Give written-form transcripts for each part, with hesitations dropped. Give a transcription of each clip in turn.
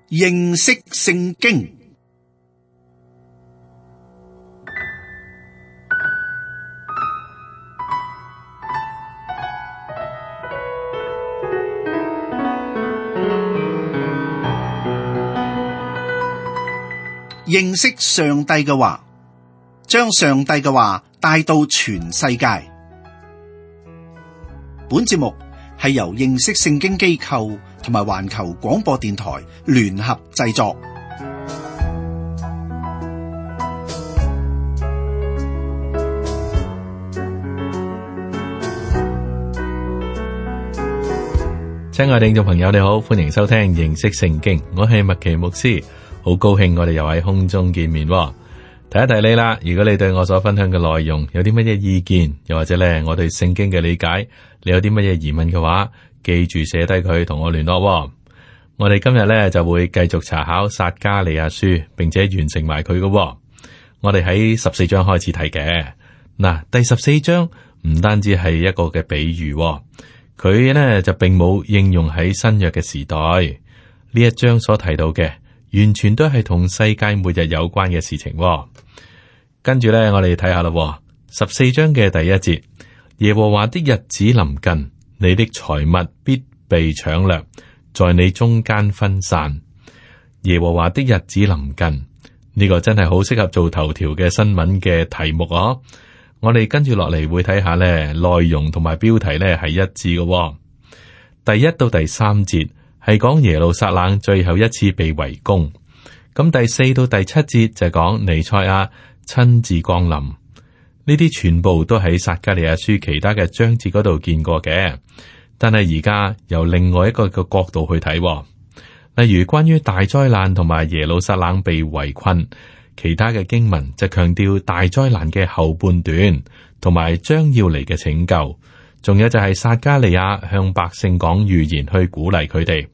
認識聖經。認識上帝嘅話，將上帝嘅話帶到全世界。本節目係由認識聖經機構同埋環球廣播電台聯合製作。親愛的聽眾朋友，你好，歡迎收聽認識聖經，我係麥奇牧師。好高興我哋又喺空中見面。提一提你啦，如果你對我所分享嘅內容有啲乜嘢意見，又或者咧我對聖經嘅理解，你有啲乜嘢疑問嘅話，記住寫低佢同我聯絡。我哋今日咧就會繼續查考撒迦利亞書，並且完成埋佢嘅。我哋喺14章開始睇嘅。嗱，第14章唔單止係一個嘅比喻，佢呢就並冇應用喺新約嘅時代。呢一章所提到嘅，完全都係同世界末日有關嘅事情。跟住咧，我哋睇下啦。14章嘅第一節，耶和華的日子臨近，你的財物必被搶掠，在你中間分散。耶和華的日子臨近，呢個真係好適合做頭條嘅新聞嘅題目哦。我哋跟住落嚟會睇下咧，內容同埋標題咧係一致嘅。第1到第3節係講耶路撒冷最後一次被圍攻，咁第4到第7節就講彌賽亞親自降臨。呢啲全部都喺撒迦利亞書其他嘅章節嗰度見過嘅，但係而家由另外一個嘅角度去睇，例如關於大災難同埋耶路撒冷被圍困，其他嘅經文就強調大災難嘅後半段同埋將要嚟嘅拯救，仲有就係撒迦利亞向百姓講預言去鼓勵佢哋。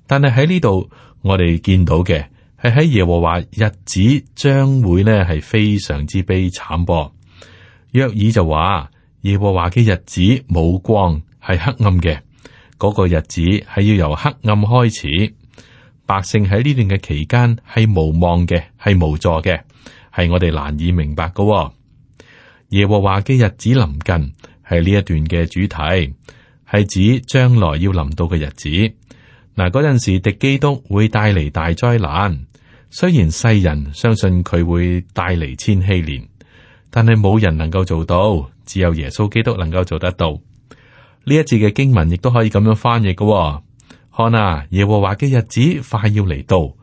但係喺呢度我哋見到嘅係喺耶和華日子將會呢係非常之悲慘噃。約珥就話耶和華嘅日子冇光，係黑暗嘅，嗰個日子係要由黑暗開始。百姓喺呢段嘅期間係無望嘅，係無助嘅，係我哋難以明白嘅。耶和華嘅日子臨近係呢一段嘅主題，係指將來要臨到嘅日子。嗱，嗰陣時敵基督會帶嚟大災難，雖然世人相信佢會帶嚟千禧年，但係冇人能夠做到，只有耶穌基督能夠做得到。呢一節嘅經文亦都可以咁樣翻譯嘅。看啊，耶和華嘅日子快要嚟到，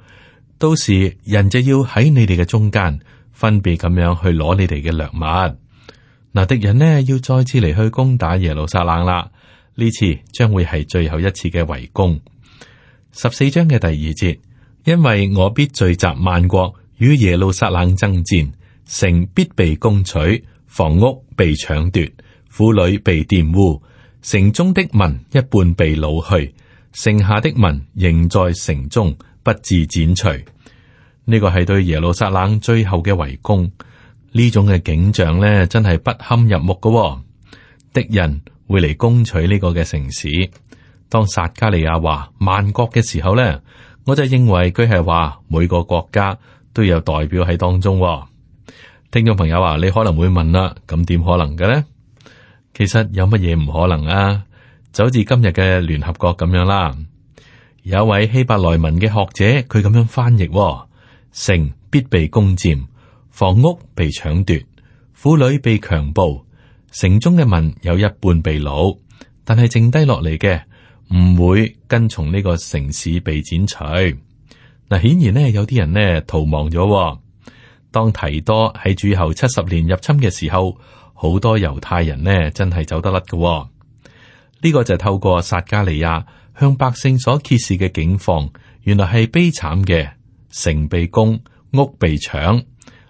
到時人就要喺你哋嘅中間分別咁樣去攞你哋嘅掠物。嗱，敵人呢要再次嚟去攻打耶路撒冷啦，呢次將會係最後一次嘅圍攻。14章嘅第2節，因為我必聚集萬國與耶路撒冷爭戰，城必被攻取，房屋被搶奪，婦女被玷污，城中的民一半被擄去，剩下的民仍在城中，不致剪除。呢個係對耶路撒冷最後嘅圍攻，呢種嘅景象呢，真係不堪入目嘅。敵人會嚟攻取呢個嘅城市。當撒迦利亞話萬國嘅時候呢，我就認為佢係話每個國家都有代表喺當中。聽眾朋友話，你可能會問啦，咁點可能嘅呢？其實有乜嘢唔可能啊？就好似今日嘅聯合國咁樣啦。有一位希伯來文嘅學者，佢咁樣翻譯：城必被攻佔，房屋被搶奪，婦女被強暴，城中嘅民有一半被擄，但係剩低落嚟嘅唔會跟從呢個城市被剪除。嗱，顯然呢，有啲人呢逃亡咗。當提多喺主後70年入侵嘅時候，好多猶太人呢真係走得甩嘅。呢個就透過撒迦利亞向百姓所揭示嘅境況，原來係悲慘嘅，城被攻，屋被搶，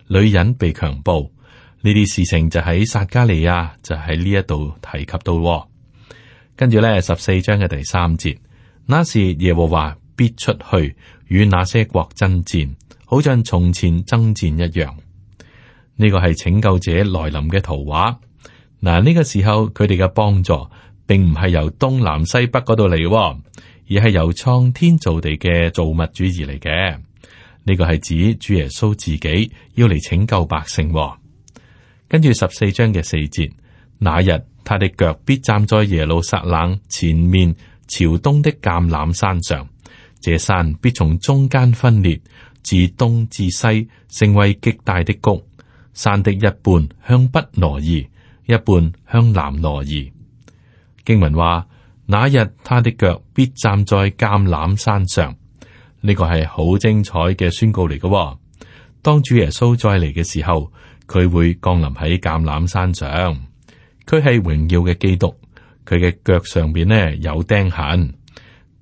女人被強暴。呢啲事情就喺撒迦利亞就喺呢一度提及到。跟住咧14章嘅第3節，那時耶和華必出去與那些國爭戰，好像從前爭戰一樣。呢個係拯救者來臨嘅圖畫。嗱，呢個時候佢哋嘅幫助並唔係由東南西北嗰度嚟，而係由創天造地嘅造物主而嚟嘅。呢個係指主耶穌自己要嚟拯救百姓。跟住14章嘅4節，那日他的腳必站在耶路撒冷前面朝東的橄欖山上，這山必從中間分裂，自東至西成為極大的谷，山的一半向北挪移，一半向南挪移。經文話，那日他的腳必站在橄欖山上。呢個係好精彩嘅宣告嚟嘅。當主耶穌再嚟嘅時候，佢會降臨喺橄欖山上。佢係榮耀嘅基督，佢嘅腳上邊呢有釘痕。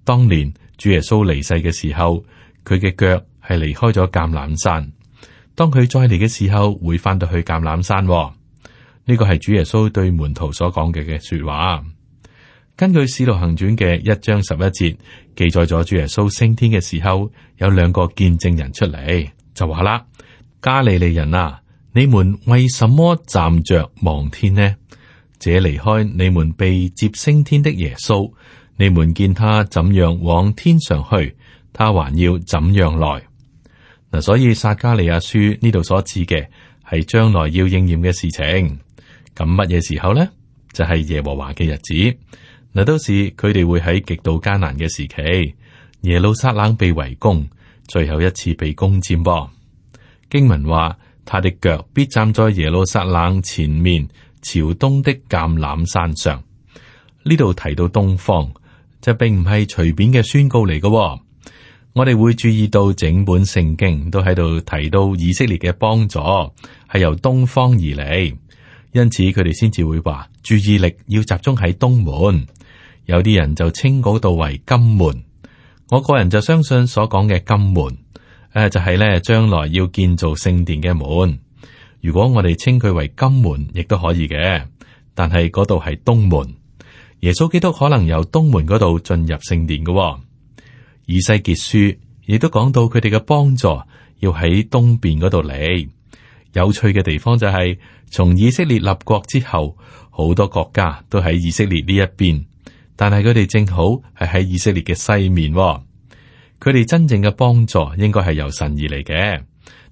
當年主耶穌離世嘅時候，佢嘅腳係離開咗橄欖山。當佢再嚟嘅時候，會翻到去橄欖山。呢個係主耶穌對門徒所講嘅說話。根據《使徒行傳》嘅1章11節記載咗主耶穌升天嘅時候，有2個見證人出嚟，就話啦：加利利人啊，你們為什麼站着望天呢？這離開你們被接升天的耶穌，你們見他怎樣往天上去，他還要怎樣來。嗱，所以撒迦利亞書呢度所指嘅係將來要應驗嘅事情。咁乜嘢時候呢？就係耶和華嘅日子。嗱，到時佢哋會喺極度艱難嘅時期，耶路撒冷被圍攻，最後一次被攻佔噃。經文話，他的腳必站在耶路撒冷前面朝東的橄欖山上。呢度提到東方，就並唔係隨便嘅宣告嚟嘅。我哋會注意到整本聖經都喺度提到以色列嘅幫助係由東方而嚟，因此佢哋先至會話注意力要集中喺東門。有啲人就稱嗰度為金門，我個人就相信所講嘅金門，就係咧將來要建造聖殿嘅門。如果我哋稱佢為金門，亦都可以嘅，但係嗰度係東門。耶穌基督可能由東門嗰度進入聖殿嘅。以西結書亦都講到佢哋嘅幫助要喺東邊嗰度嚟。有趣嘅地方就係，從以色列立國之後，好多國家都喺以色列呢一邊。但係佢哋正好係喺以色列嘅西面。佢哋真正嘅幫助應該係由神而嚟嘅。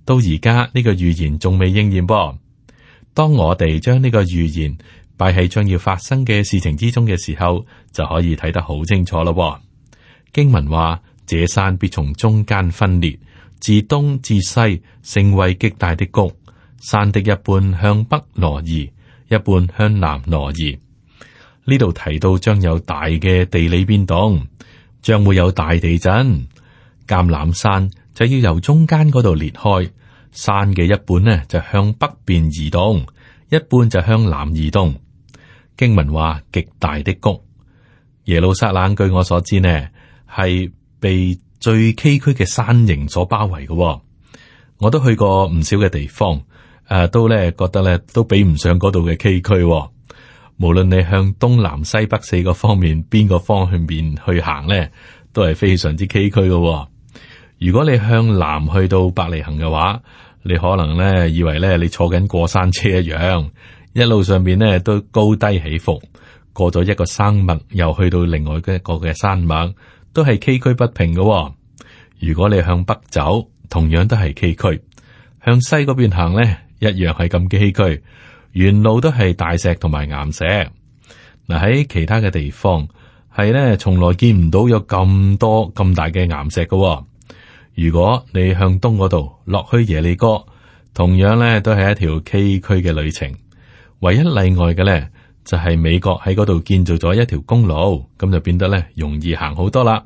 到而家呢個預言仲未應驗噃。當我哋將呢個預言擺喺將要發生嘅事情之中嘅時候，就可以睇得好清楚咯。經文話，這山必從中間分裂，自東至西成為極大的谷，山的一半向北挪移，一半向南挪移。呢度提到將有大嘅地理變動，將會有大地震。橄欖山就要由中間嗰度裂開，山嘅一半呢就向北邊移動，一半就向南移動。經文話極大的谷，耶路撒冷據我所知呢係被最崎嶇嘅山形所包圍嘅。我都去過唔少嘅地方，都咧覺得咧都比唔上嗰度嘅崎嶇。無論你向東南西北4個方面邊個方向面去行咧，都係非常之崎嶇嘅。如果你向南去到伯利恆嘅話，你可能咧以為咧你坐緊過山車一樣，一路上邊咧都高低起伏，過咗一個山脈又去到另外一個嘅山脈，都係崎嶇不平嘅。如果你向北走，同樣都係崎嶇；向西嗰邊行咧，一樣係咁崎嶇。沿路都係大石同埋岩石。嗱，喺其他嘅地方係咧，從來見唔到有咁多咁大嘅岩石嘅。如果你向東嗰度落去耶利哥，同樣咧都係一條崎嶇嘅旅程。唯一例外嘅咧，就係美國喺嗰度建造咗一條公路，咁就變得咧容易行好多啦，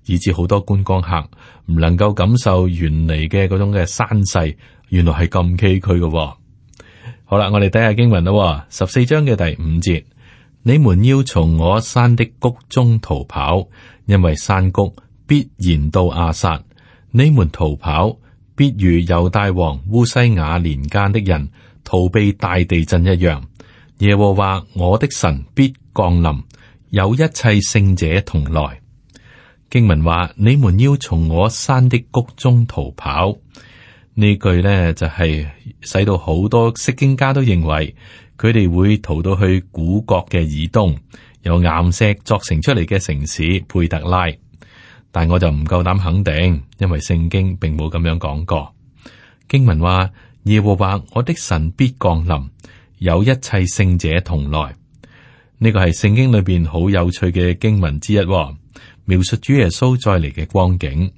以至好多觀光客唔能夠感受原嚟嘅嗰種嘅山勢，原來係咁崎嶇嘅。好啦，我哋睇下經文啦，14章嘅第5節，你們要從我山的谷中逃跑，因為山谷必延到亞撒。你們逃跑，必如猶大王烏西雅年間的人逃避大地震一樣。耶和華我的神必降臨，有一切聖者同來。經文話，你們要從我山的谷中逃跑。呢句呢就係使到好多釋經家都認為佢哋會逃到去古國嘅以東，由岩石作成出嚟嘅城市佩特拉，但我就唔夠膽肯定，因為聖經並冇咁樣講過。經文話耶和華我的神必降臨，有一切聖者同來。呢個係聖經裏邊好有趣嘅經文之一，描述主耶穌再嚟嘅光景。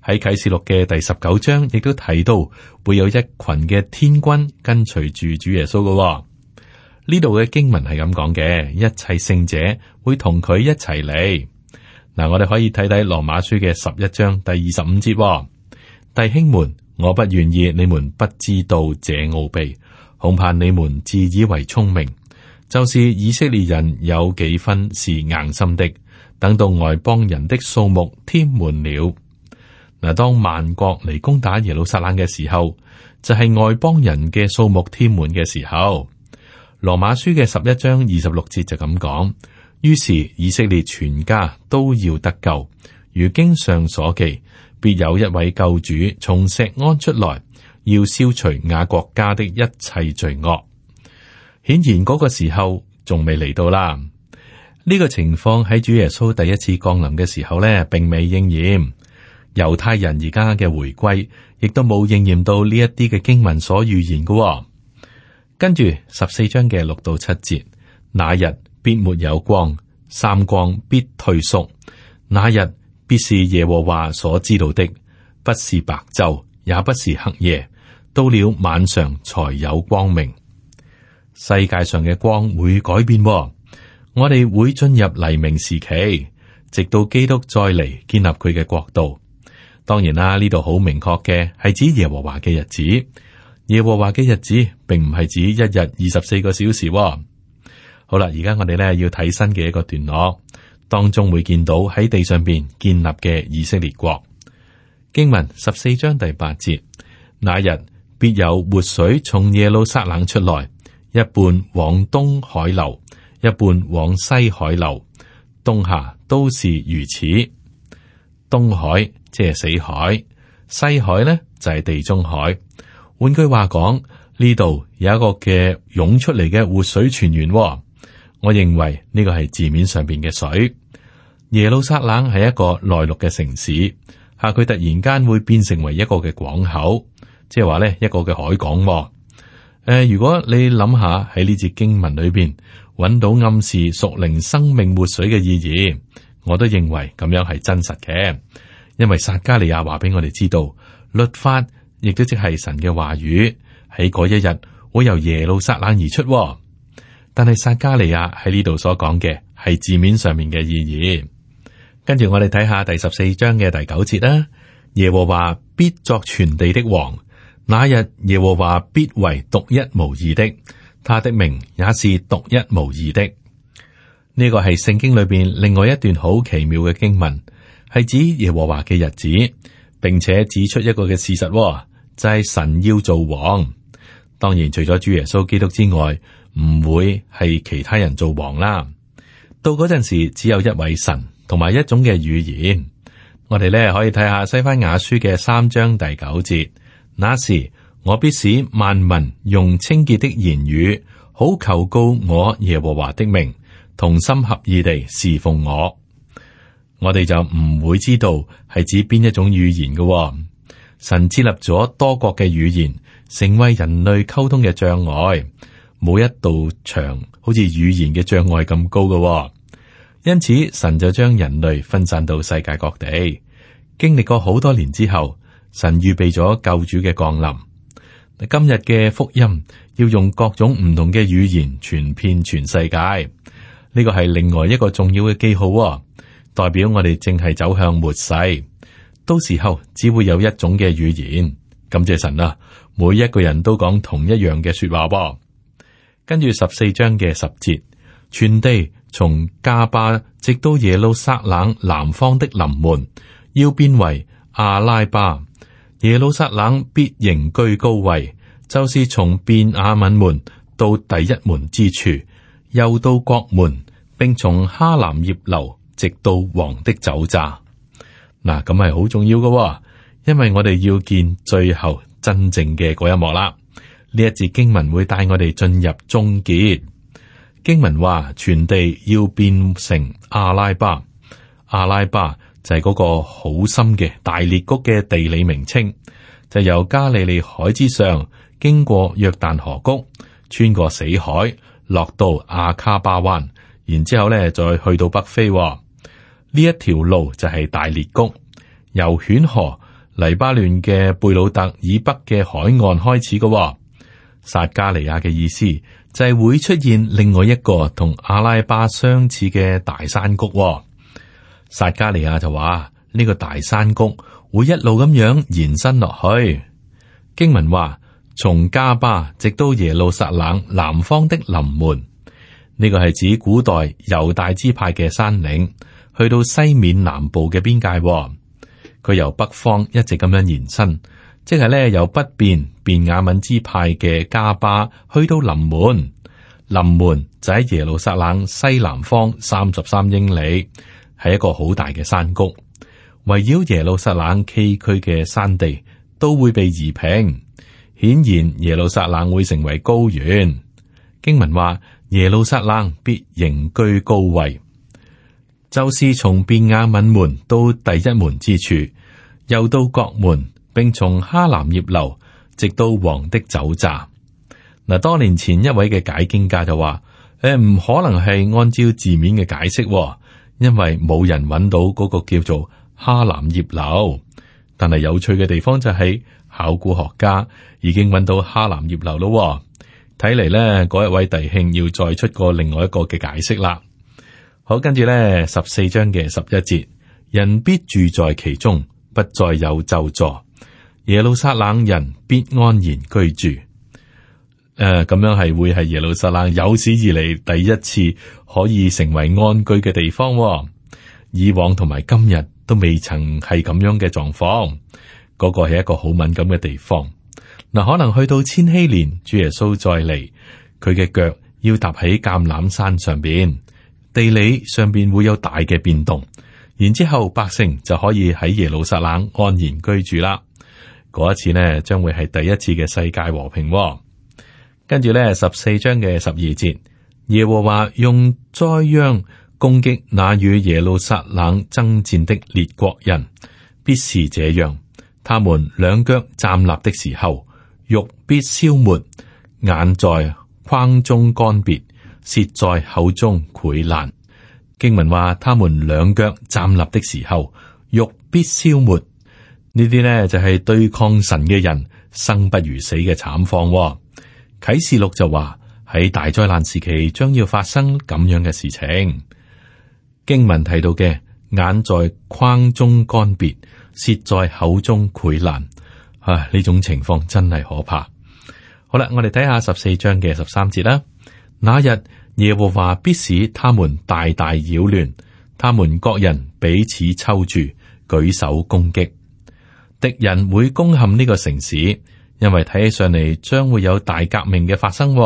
喺啟示錄嘅第19章亦都提到會有一群嘅天軍跟隨住主耶穌嘅。呢度嘅經文係咁講嘅，一切聖者會同佢一齊嚟。嗱，我哋可以睇睇羅馬書嘅11章第25節，弟兄們，我不願意你們不知道這奧秘，恐怕你們自以為聰明，就是以色列人有幾分是硬心的，等到外邦人的數目添滿了。嗱，當萬國嚟攻打耶路撒冷嘅時候，就係外邦人嘅數目添滿嘅時候。羅馬書嘅11章26節就咁講，於是以色列全家都要得救，如經上所記，必有一位救主從錫安出來，要消除雅各家的一切罪惡。顯然嗰個時候仲未嚟到啦。呢個情況喺主耶穌第一次降臨嘅時候呢，並未應驗。猶太人而家嘅回歸，亦都冇應驗到呢一啲嘅經文所預言嘅。跟住14章嘅6到7節，那日必沒有光，三光必退縮，那日必是耶和華所知道的，不是白晝，也不是黑夜，到了晚上才有光明。世界上嘅光會改變，我哋會進入黎明時期，直到基督再嚟建立佢嘅國度。當然啦，呢度好明確嘅係指耶和華嘅日子。耶和華嘅日子並唔係指一日24個小時。好啦，而家我哋咧要睇新嘅一個段落，當中會見到喺地上邊建立嘅以色列國。經文14章第8節，那日必有活水從耶路撒冷出來，一半往東海流，一半往西海流，冬夏都是如此。東海即係死海，西海呢就係地中海。換句話講，呢度有一個嘅湧出嚟嘅活水泉源。我認為呢個係字面上邊嘅水。耶路撒冷係一個內陸嘅城市，佢突然間會變成為一個嘅港口，即係話呢一個嘅海港。如果你諗下喺呢節經文裏邊揾到暗示屬靈生命活水嘅意義，我都認為咁樣係真實嘅，因為撒迦利亞話俾我哋知道，律法亦都即係神嘅話語，喺嗰一日會由耶路撒冷而出。但係撒迦利亞喺呢度所講嘅係字面上面嘅意義。跟住我哋睇下第14章嘅第9節啦。耶和華必作全地的王，那日耶和華必為獨一無二的，他的名也是獨一無二的。呢個係聖經裏邊另外一段好奇妙嘅經文，係指耶和華嘅日子，並且指出一個嘅事實，就係神要做王。當然除咗主耶穌基督之外，唔會係其他人做王啦。到嗰陣時，只有一位神同埋一種嘅語言。我哋咧可以睇下西番雅書嘅3章第9節，那時我必使萬民用清潔的言語，好求告我耶和華的名，同心合意地侍奉我。我哋就唔會知道係指邊一種語言嘅。神設立咗多國嘅語言，成為人類溝通嘅障礙，冇一道牆好似語言嘅障礙咁高嘅。因此神就將人類分散到世界各地。經歷過好多年之後，神預備咗救主嘅降臨。今日嘅福音要用各種唔同嘅語言傳遍全世界，呢個係另外一個重要嘅記號，代表我哋正係走向末世。到時候只會有一種嘅語言。感謝神啊，每一個人都講同一樣嘅說話。跟住14章嘅10節，全地從加巴直到耶路撒冷南方的臨門，要變為阿拉巴。耶路撒冷必仍居高位，就是從便雅憫門到第一門之處，又到國門，並從哈南葉樓直到王的酒榨。嗱，咁係好重要嘅，因為我哋要見最後真正嘅嗰一幕啦。呢一節經文會帶我哋進入終結。經文話全地要變成阿拉巴，阿拉巴就係嗰個好深嘅大裂谷嘅地理名稱，就由加利利海之上經過約旦河谷，穿過死海，落到亞卡巴灣，然之後咧再去到北非。呢一條路就係大裂谷，由犬河黎巴嫩嘅貝魯特以北嘅海岸開始嘅。撒加利亞嘅意思就係會出現另外一個同阿拉巴相似嘅大山谷。撒加利亞就話呢個大山谷會一路咁樣延伸落去。經文話從加巴直到耶路撒冷南方的臨門，呢個係指古代猶大支派嘅山嶺，去到西面南部嘅邊界。佢由北方一直咁樣延伸，即係咧由北邊便雅憫支派嘅加巴去到臨門。臨門就喺耶路撒冷西南方33英里，係一個好大嘅山谷。圍繞耶路撒冷崎嶇嘅山地都會被夷平，顯然耶路撒冷會成為高原。經文話耶路撒冷必仍居高位，就是從便雅憫門到第一門之處，又到角門，並從哈南葉樓直到王的酒榨。嗱，多年前一位嘅解經家就話：唔可能係按照字面嘅解釋，因為冇人揾到嗰個叫做哈南葉樓。但係有趣嘅地方就係，考古學家已經揾到哈南葉樓咯。睇嚟咧，嗰一位弟兄要再出個另外一個嘅解釋啦。好，跟住咧14章嘅11節，人必住在其中，不再有咒詛，耶路撒冷人必安然居住。咁樣係會係耶路撒冷有史以嚟第一次可以成為安居嘅地方。以往同埋今日都未曾係咁樣嘅狀況。嗰個係一個好敏感嘅地方。嗱，可能去到千禧年，主耶穌再嚟，佢嘅腳要踏喺橄欖山上邊，地理上邊會有大嘅變動。然之後百姓就可以喺耶路撒冷安然居住啦。嗰一次呢，將會係第一次嘅世界和平。跟住咧14章嘅12節，耶和華用災殃攻擊那與耶路撒冷爭戰的列國人，必是這樣。他們兩腳站立的時候，肉必消沒，眼在眶中乾癟，舌在口中潰爛。經文話，他們兩腳站立的時候，肉必消沒。呢啲呢就係對抗神嘅人生不如死嘅慘況。啟示錄就話喺大災難時期將要發生咁樣嘅事情。經文提到嘅眼在眶中乾癟，舌在口中潰爛，呢種情況真係可怕。好啦，我哋睇下14章嘅13節啦。那日耶和華必使他們大大擾亂，他們各人彼此抽住，舉手攻擊。敵人會攻陷呢個城市，因為睇起上嚟將會有大革命嘅發生。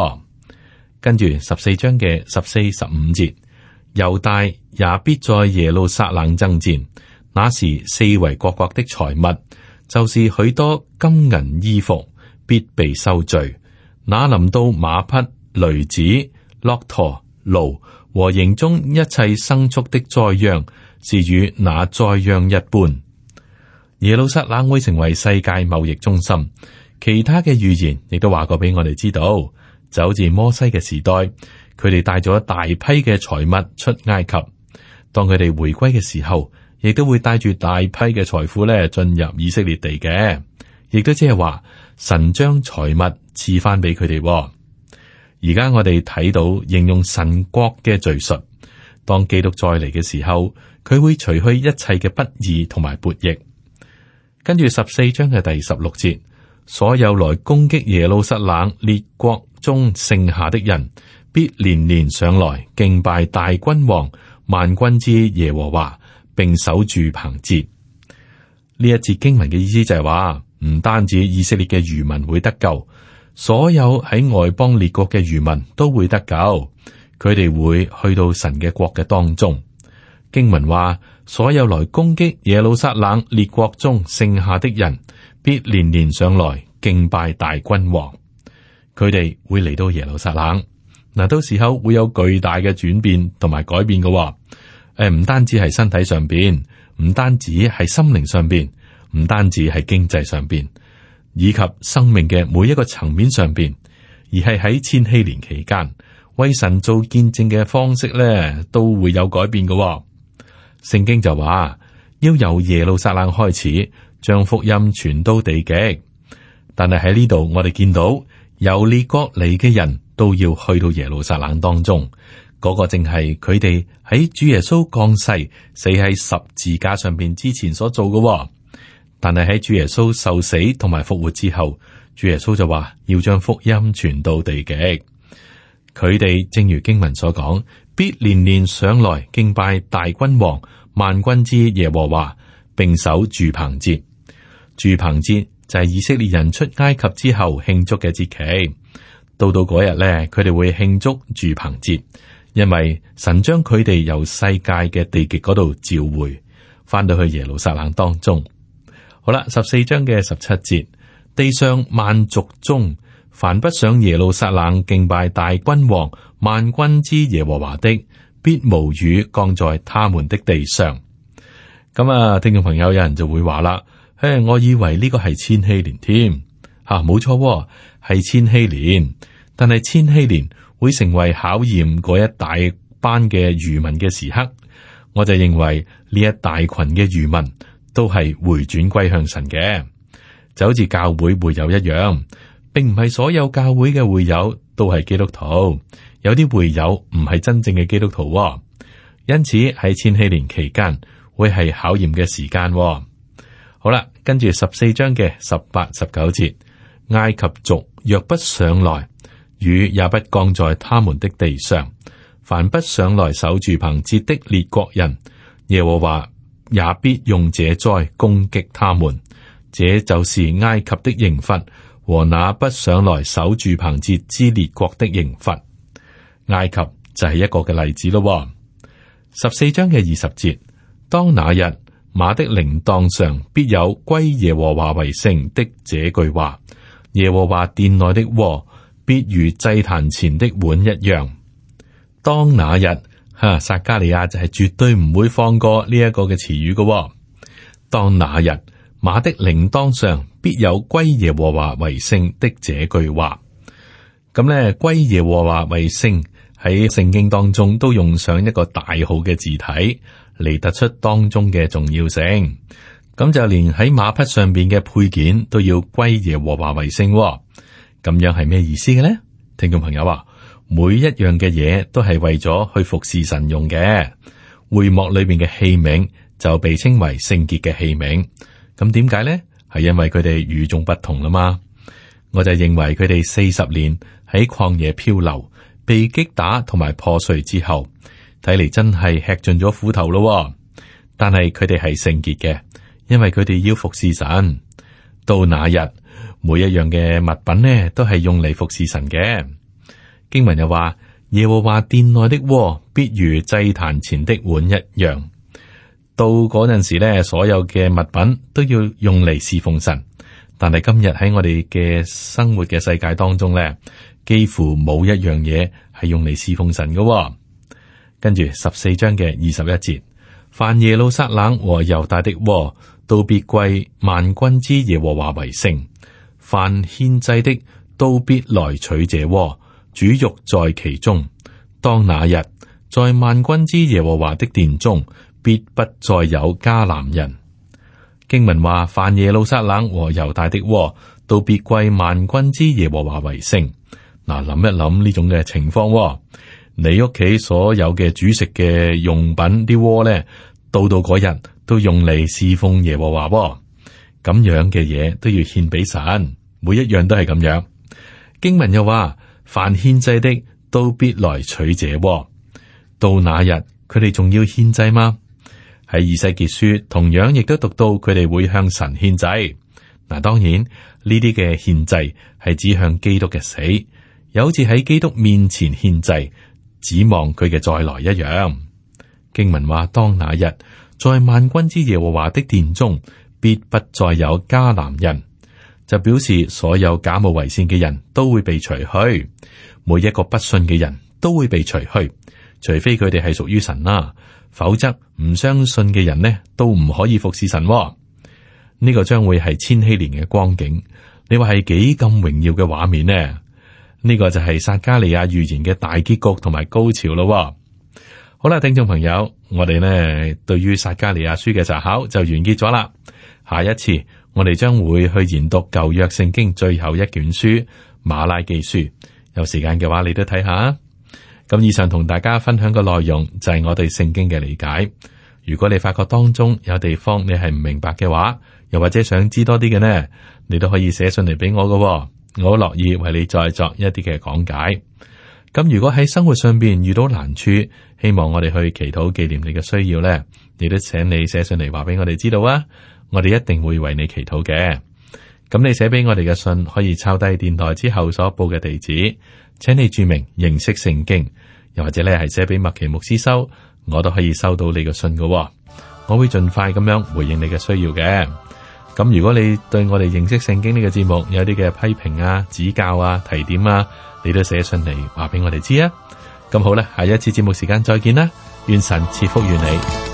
跟住14章嘅14、15節，猶大也必在耶路撒冷爭戰。那時四圍各國的財物，就是許多金銀衣服，必被收聚。那臨到馬匹、驢子、駱駝、驢和營中一切牲畜的災殃，是與那災殃一般。耶路撒冷會成為世界貿易中心。其他嘅預言亦都話過俾我哋知道，就好似摩西嘅時代，佢哋帶咗大批嘅財物出埃及。當佢哋回歸嘅時候，亦都會帶住大批嘅財富咧進入以色列地嘅，亦都即係話神將財物賜翻俾佢哋。而家我哋睇到形容神國嘅敘述，當基督再嚟嘅時候，佢會除去一切嘅不義同埋悖逆。跟住14章嘅第16節，所有來攻擊耶路撒冷列國中剩下的人，必連連上來敬拜大君王萬軍之耶和華，並守住棚節。呢一節經文嘅意思就係話，唔單止以色列嘅餘民會得救，所有喺外邦列國嘅餘民都會得救，佢哋會去到神嘅國嘅當中。經文話，所有來攻擊耶路撒冷列國中剩下的人，必連連上來敬拜大君王。佢哋會嚟到耶路撒冷，嗱，到時候會有巨大嘅轉變同埋改變嘅。唔單止係身體上邊，唔單止係心靈上邊，唔單止係經濟上邊，以及生命嘅每一個層面上邊，而係喺千禧年期間為神做見證嘅方式咧，都會有改變嘅。聖經就話要由耶路撒冷開始，將福音傳到地極。但係喺呢度，我哋見到由列國嚟嘅人都要去到耶路撒冷當中。嗰個正係佢哋喺主耶穌降世死喺十字架上邊之前所做嘅。但係喺主耶穌受死同埋復活之後，主耶穌就話要將福音傳到地極。佢哋正如經文所講，必年年上來敬拜大君王萬軍之耶和華，並守住棚節。住棚節就係以色列人出埃及之後慶祝嘅節期。到嗰日咧，佢哋會慶祝住棚節。因為神將佢哋由世界嘅地極嗰度召回，翻到去耶路撒冷當中。好啦，14章嘅17節，地上萬族中，凡不上耶路撒冷敬拜大君王萬軍之耶和華的，必無雨降在他們的地上。咁啊，聽眾朋友有人就會話啦，我以為呢個係千禧年添，冇錯，係千禧年，但係千禧年會成為考驗嗰一大班嘅餘民嘅時刻，我就認為呢一大群嘅餘民都係回轉歸向神嘅，就好似教會會友一樣，並唔係所有教會嘅會友都係基督徒，有啲會友唔係真正嘅基督徒，因此喺千禧年期間會係考驗嘅時間。好啦，跟住14章嘅18、19節，埃及族若不上來，雨也不降在他們的地上，凡不上來守住棚節的列國人，耶和華也必用這災攻擊他們。這就是埃及的刑罰和那不上來守住棚節之列國的刑罰。埃及就係一個嘅例子咯。14章嘅20節，當那日，馬的鈴鐺上必有歸耶和華為聖的這句話，耶和華殿內的鍋必如祭壇前的碗一樣。當那日，撒迦利亞就係絕對唔會放過呢一個嘅詞語嘅。當那日，馬的鈴鐺上必有歸耶和華為聖的這句話。咁咧，歸耶和華為聖喺聖經當中都用上一個大號嘅字體嚟突出當中嘅重要性。咁就連喺馬匹上邊嘅配件都要歸耶和華為聖。咁樣係咩意思嘅呢？聽眾朋友話，每一樣嘅嘢都係為咗去服侍神用嘅。會幕裏面嘅器皿就被稱為聖潔嘅器皿。咁點解呢？係因為佢哋與眾不同啦嘛。我就認為佢哋40年喺曠野漂流，被擊打同埋破碎之後，睇嚟真係吃盡咗苦頭咯。但係佢哋係聖潔嘅，因為佢哋要服侍神。到那日，每一樣嘅物品呢，都係用嚟服侍神嘅。經文又話，耶和華殿內的鍋必如祭壇前的碗一樣。到嗰陣時呢，所有嘅物品都要用嚟侍奉神。但係今日喺我哋嘅生活嘅世界當中呢，幾乎冇一樣嘢係用嚟侍奉神嘅。跟住14章嘅21節，凡耶路撒冷和猶大的鍋，都必歸萬軍之耶和華為聖。凡獻祭的都必來取這鍋，煮肉在其中。當那日，在萬軍之耶和華的殿中，必不再有迦南人。經文話，凡耶路撒冷和猶大的鍋，都必歸萬軍之耶和華為聖。嗱，諗一諗呢種嘅情況，你屋企所有嘅煮食嘅用品啲鍋咧，到嗰日都用嚟侍奉耶和華。咁樣嘅嘢都要獻俾神，每一樣都係咁樣。經文又話，凡獻祭的都必來取這鍋。到那日，佢哋仲要獻祭嗎？喺以西結書同樣亦都讀到佢哋會向神獻祭。嗱，當然呢啲嘅獻祭係指向基督嘅死，又好似喺基督面前獻祭，指望佢嘅再來一樣。經文話，當那日，在萬軍之耶和華的殿中，必不再有迦南人。就表示所有假冒為善嘅人都會被除去，每一個不信嘅人都會被除去，除非佢哋係屬於神啦，否則唔相信嘅人呢都唔可以服侍神。呢個將會係千禧年嘅光景，你話係幾咁榮耀嘅畫面呢？呢個就係撒迦利亞預言嘅大結局同埋高潮咯。好啦，聽眾朋友，我哋呢對於撒迦利亞書嘅查考就完結咗啦。下一次我哋將會去研讀舊約聖經最後一卷書馬拉基書，有時間嘅話你都睇下。咁以上同大家分享嘅內容就係我對聖經嘅理解。如果你發覺當中有地方你係唔明白嘅話，又或者想知多啲嘅呢，你都可以寫信嚟俾我㗎，我好樂意為你再作一啲嘅講解。咁如果喺生活上邊遇到難處，希望我哋去祈禱紀念你嘅需要呢，亦都請你寫信嚟話俾我哋知道啊，我哋一定會為你祈禱嘅。咁你寫俾我哋嘅信可以抄低電台之後所報嘅地址，請你注明認識聖經，又或者咧係寫俾麥奇牧師收，我都可以收到你嘅信㗎，我會盡快咁樣回應你嘅需要嘅。咁如果你對我哋認識聖經呢個節目有啲嘅批評啊、指教啊、提點啊，你都寫信嚟話俾我哋知啊。咁好啦，下一次節目時間再見啦，願神賜福於你。